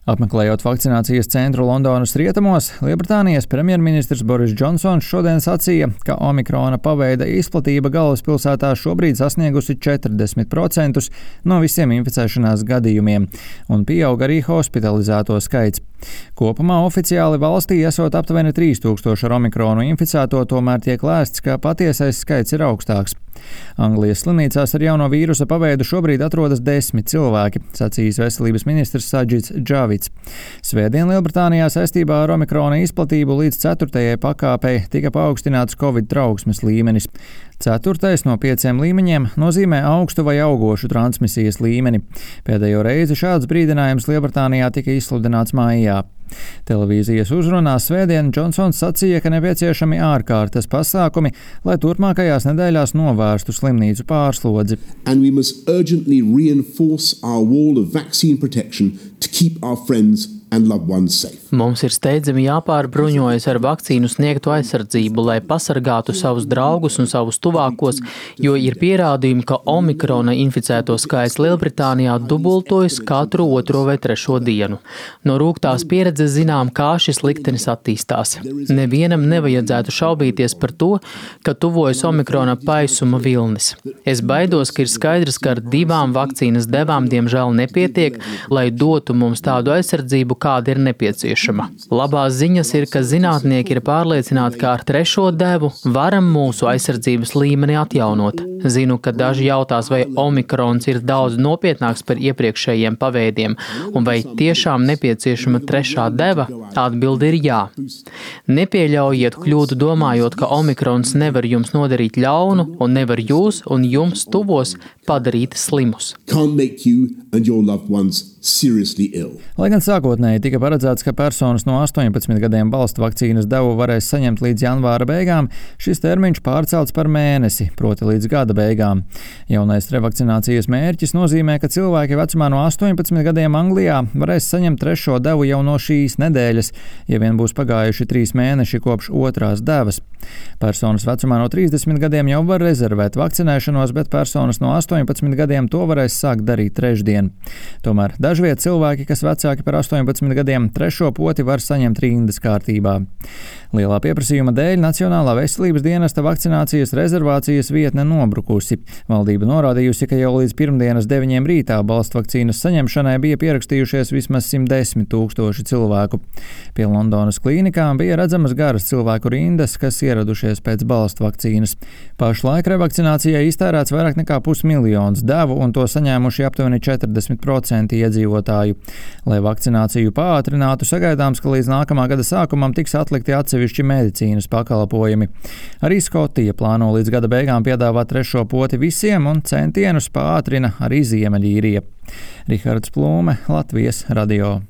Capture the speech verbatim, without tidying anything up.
Apmeklējot vakcinācijas centru Londonas rietumos, Lielbritānijas premjerministrs Boris Džonsons šodien sacīja, ka omikrona paveida izplatība galvaspilsētā šobrīd sasniegusi četrdesmit procentus no visiem inficēšanās gadījumiem, un pieaug arī hospitalizēto skaits. Kopumā oficiāli valstī esot aptuveni trīs tūkstoši ar omikronu inficēto, tomēr tiek lēsts, ka patiesais skaits ir augstāks. Anglijas slimnīcās ar jauno vīrusa paveidu šobrīd atrodas desmit cilvēki, sacījis veselības ministrs Sadžits Džavits. Svētdien Lielbritānijā saistībā ar omikrona izplatību līdz ceturtajai pakāpei tika paaugstināts Covid trauksmes līmenis. Ceturtais no pieciem līmeņiem nozīmē augstu vai augošu transmisijas līmeni. Pēdējo reizi šāds brīdinājums Lielbritānijā tika izsludināts maijā. Televīzijas uzrunā svētdien Džonsons sacīja, ka nepieciešami ārkārtas pasākumi, lai turpmākajās nedēļās novērstu slimnīcu pārslodzi. And we must urgently reinforce our wall of vaccine protection to keep our friends and loved ones safe. Mums ir steidzami jāpārbruņojas ar vakcīnu sniegtu aizsardzību, lai pasargātu savus draugus un savus tuvākos, jo ir pierādījumi, ka omikrona inficēto skaits Lielbritānijā dubultojas katru otro vai trešo dienu. No rūgtās pieredzes zinām, kā šis liktenis attīstās. Nevienam nevajadzētu šaubīties par to, ka tuvojas omikrona paisuma vilnis. Es baidos, ka ir skaidrs, ka ar divām vakcīnas devām diemžēl nepietiek, lai dotu mums tādu aizsardzību, kāda ir nepieciešama. Labās ziņas ir, ka zinātnieki ir pārliecināti, ka ar trešo devu varam mūsu aizsardzības līmeni atjaunot. Zinu, ka daži jautās, vai omikrons ir daudz nopietnāks par iepriekšējiem paveidiem, un vai tiešām nepieciešama trešā deva? Atbilde ir jā. Nepieļaujiet kļūdu domājot, ka omikrons nevar jums nodarīt ļaunu un nevar jūs un jums tuvos padarīt slimus. Can't make you and your loved ones seriously ill. Lai gan sākotnēji tika paredzēts, ka personas no astoņpadsmit gadiem balstu vakcīnas devu varēs saņemt līdz janvāra beigām, šis termiņš pārcelts par mēnesi, proti līdz gada beigām. Jaunais revakcinācijas mērķis nozīmē, ka cilvēki vecumā no astoņpadsmit gadiem Anglijā varēs saņemt trešo devu jau no šīs nedēļas, ja vien būs pagājuši trīs mēneši kopš otrās devas. Personas vecumā no trīsdesmit gadiem jau var rezervēt vakcinēšanos, bet personas no astoņpadsmit gadiem to varēs sākt darīt trešdien. Tomēr dažviet cilvēki, kas vecāki par astoņpadsmit gadiem, trešo poti var saņemt rindas kārtībā. Lielā pieprasījuma dēļ Nacionālā veselības dienesta vakcinācijas rezervācijas vietne nobrukusi. Valdība norādījusi, ka jau līdz pirmdienas deviņiem rītā balstu vakcīnas saņemšanai bija pierakstījušies vismaz simt desmit tūkstoši cilvēku. Pie Londonas klīnikām bija redzamas garas cilvēku rindas, kas ieradušies pēc balstu vakcīnas. Pašlaik revakcinācijai iztērēts vairāk nekā pusmiljons devu, un to saņēmuši aptuveni četrdesmit procenti iedzīvotāju. Lai vakcināciju pātrinātu, sagaidāms, ka līdz nākamā gada sākumam tiks atlikti atsevišķi medicīnas pakalpojumi. Arī Skotija plāno līdz gada beigām piedāvāt trešo poti visiem, un centienus pātrina arī Ziemeļīrija. Rihards Plūme, Latvijas radio.